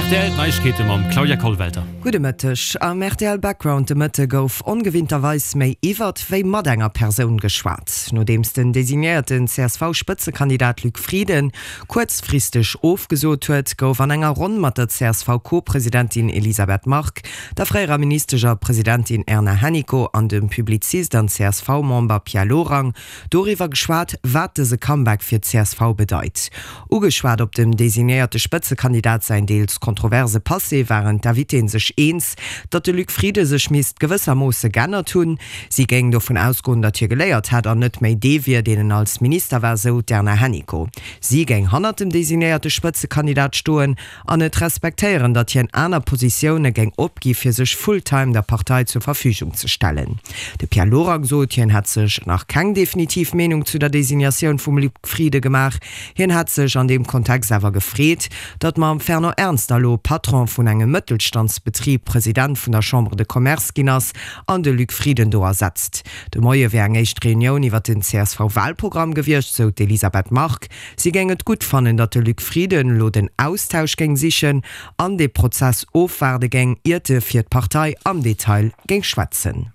Rtl, D'Neiegkeete mam Claudia Kollwelter. Gudde Mëtteg. Am rtl Background de Mëtte gouf ongewinnterweis méi iwwert wéi mat enger Persoun geschwat. Nodeems den designéierten CSV-Spëtzekandidat Luc Frieden kuerzfristeg ofgesot huet, gouf an enger Ronn mat der CSV-Co-Presidentin Elisabeth Margue, der fréierer Ministesch a Presidentin Erna Hennicot an dem Publizist an CSV-Member Pierre Lorang doriwwer geschwat, wat dëse Comeback fir d'CSV bedeit. Ugeschwat op dem designéierte Spëtzekandidat säin deels kontroverse Passé, waren d'Invitéen sech eens, datt de Luc Frieden sech misst gewëssermoosse g'ännert hunn. Si géing dovun ausgoen, datt hie geléiert hätt an net méi dee wier, deen en als Minister war, sou d'Erna Hennicot. Si géing hannert dem designéierte Spëtzekandidat stoen an et respektéieren, datt hien aner Positioune géing opgi fir sech full-time der Partei zur Verfügung ze stellen. De Pierre Lorang sot, hien hätt sech nach keng definitiv Meenung zu der Designatioun vum Luc Frieden gemaach. Hien hätt sech an deem Kontext awer gefreet, datt mam Fernand Ernster elo Patron vun engem Mëttelstandsbetrib President vun der Chambre de Commerce ginn ass an de Luc Frieden do ersetzt. De Moie wär eng éischt Reunioun iwwer den CSV-Walprogramm gewiescht, sou d'Elisabeth Margue. Si géing et gutt fannen, datt de Luc Frieden elo den Austausch géing sichen an dee Prozess ofwaarde géing, iert e fir d'Partei am Detail géing schwätzen.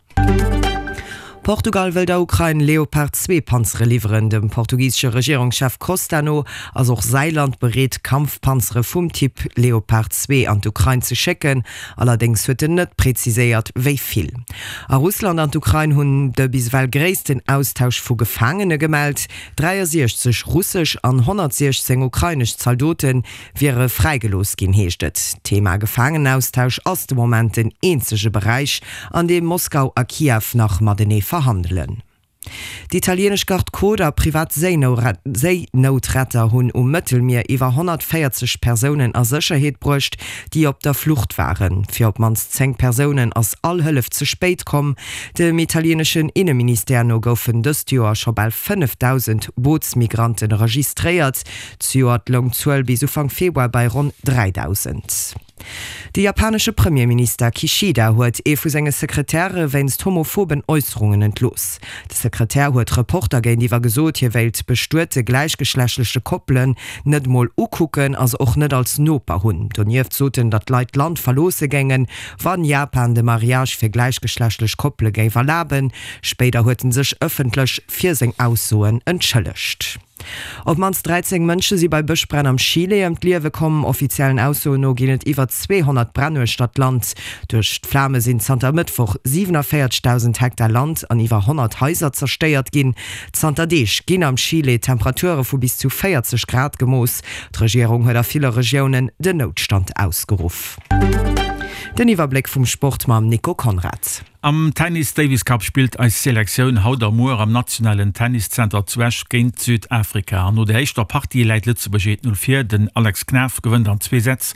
Portugal wëll der Ukrain Leopard 2 Panzere liwweren. Dem portugisesche Regierungschef Costa no ass och säi Land bereet, Kampfpanzere vum Typ Leopard 2 an d'Ukrain ze schécken. Allerdéngs huet en net preziséiert, wéi vill. A Russland an d'Ukrain hunn de bis ewell gréissten Austausch vu Gefaangene gemellt. 63 russesch an 116 ukrainesch Zaldote wiere fräigelooss ginn, heescht et. D'Thema Gefaangenaustausch ass de Moment den eenzege Beräich, an deem Moskau a Kiew nach matenee verhandelen. D'italieenesch Garde Côte a privat Séinoutretter hunn um Mëttelmier iwwer 140 Persounen a Sécherheet bruecht, déi op der Flucht waren. Fir op d'mannst 10 Persounen ass all Hëllef ze spéit komm. Dem italieneschen Inneministère no goufen dëst Joer scho bal 5.000 Bootsmigranten registréiert. Zejoert loung d'Zuel bis Ufank Februar bei ronn 3.000. De japanesche Premierminister Kishida huet ee vu senge Sekretäre wéinst homophoben Äusserungen entlooss. De Sekretär huet Reporter géintiwwer gesot, hie wéilt bestuete gläichgeschlechtleche Koppelen net mol ukucken a se och net als Noper hunn. Donieft sot en, datt d'Leit d'Land verloosse géingen, Wann Japan de Mariage fir gläichgeschlechtlech Koppele géif erlaben. Spéider huet en sech ëffentlech fir seng Aussoen entschëllegt. Op d'mannst 13 Mënsche si bei Bëschbränn am Chile ëm d'Liewe komm. Offiziellen Aussoen no ginn et iwwer 200 Bränn uechter d'Land. Duerch d'Flame sinn zanter e Mëttwoch 47.000 Hektar Land an iwwer 100 Haiser zerstéiert ginn. Zanter Deeg ginn am Chile Temperature vu bis zu 40 Grad gemooss. D'Regierung huet a ville Regiounen den Noutstand ausgeruff. Den Iwwerbléck vum Sport mam Nico Conrad. Am Tennis Davis Cup spillt eis Selektioun haut a muer am nationalen Tenniszenter zu Esch géint Südafrika. An no der éischter Partie läit Lëtzebuerg 1, 0 vir. Den Alex Knaff gewënnt an zwee Sätz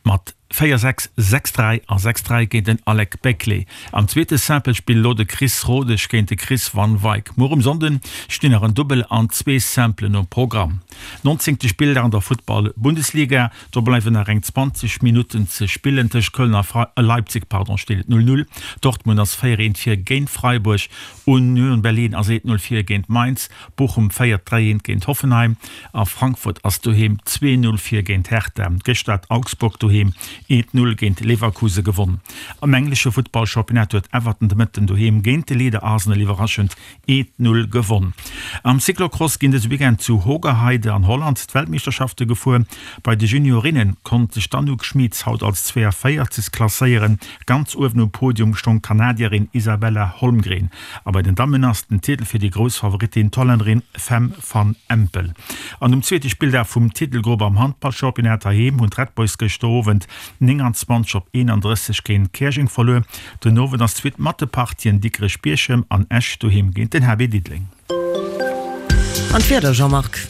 mat 4, 6, 6, 3 a 6, 3 géint den Alec Beckley. Am zweete Simple-Spill elo de Chris Rodesch géint de Chris Van Wyk. Muer um Sonnden stinn nach en Dubbel an zwee Simplen um Programm. Nonzéngte Spilldag an der Futtball-Bundesliga. Do bleiwen nach eng 20 Minutten ze spillen. Tëscht Köln a Leipzig pardon, steet et 0, 0. Dortmund ass 4, 1 vir géint Freiburg. Union Berlin ass 1, 0 vir géint Mainz. Bochum féiert 3, 1 géint Hoffenheim a Frankfurt ass doheem 2, 0 vir géint Hertha. Gëschter hat Augsburg doheem 1, 0 géint Leverkusen gewonn. Am englesche Futtballchampionnat huet Everton de Mëtten doheem géint de Leader Arsenal iwwerraschend 1, 0 gewonn. Am Cyclocross ginn dëse Weekend zu Hoogerheide an Holland d'Weltmeeschterschafte gefuer. Bei de Juniorinne konnt sech d'Anouk Schmitz haut als 42. Klasséieren. Ganz uewen um Podium stong d'Kanadierin Isabella Holmgren. A bei den Dammen ass den Titel fir déi grouss Favoritin, d'Hollännerin Fem van Empel. An um zweete Spilldag vum Titelgrupp am Handballchampionnat heiheem hunn d'Red Boys gëschter Owend 29 op 31 géint Käerjeng verluer. Den Owend ass d'Suite mat de Partien Dikrech-Bierchem an Esch doheem géint den HB Diddeleng. An d'Wieder, Jean-Marc?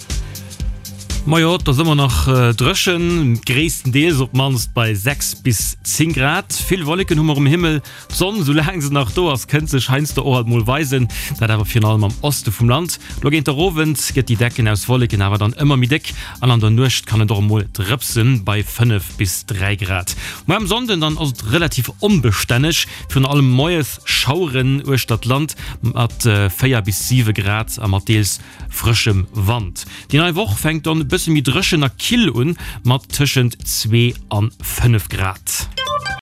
Majo, et ass ëmmer nach dréchen, gréisstendeels op d'mannst bei 6 bis 10 Grad. Vill Wolleken hu mer um Himmel. D'Sonn, soulaang se nach do ass, kënnt sech heiansdo och alt mol weisen, dat awer virun allem am Oste vum Land. Lo géint der Owend gëtt déi Decken aus Wolleken awer dann ëmmer méi déck an an der Nuecht kann et och emol drëpsen, bei 5 bis 3 Grad. Muer am Sonnden dann ass et relativ onbestänneg, virun allem moies Schaueren uechter d'Land mat 4 bis 7 Grad a mat deels frëschem Wand. Déi nei Woch fänkt dann e bësse. bësse méi dréchen a kill un, mat tëschent 2 an 5 Grad.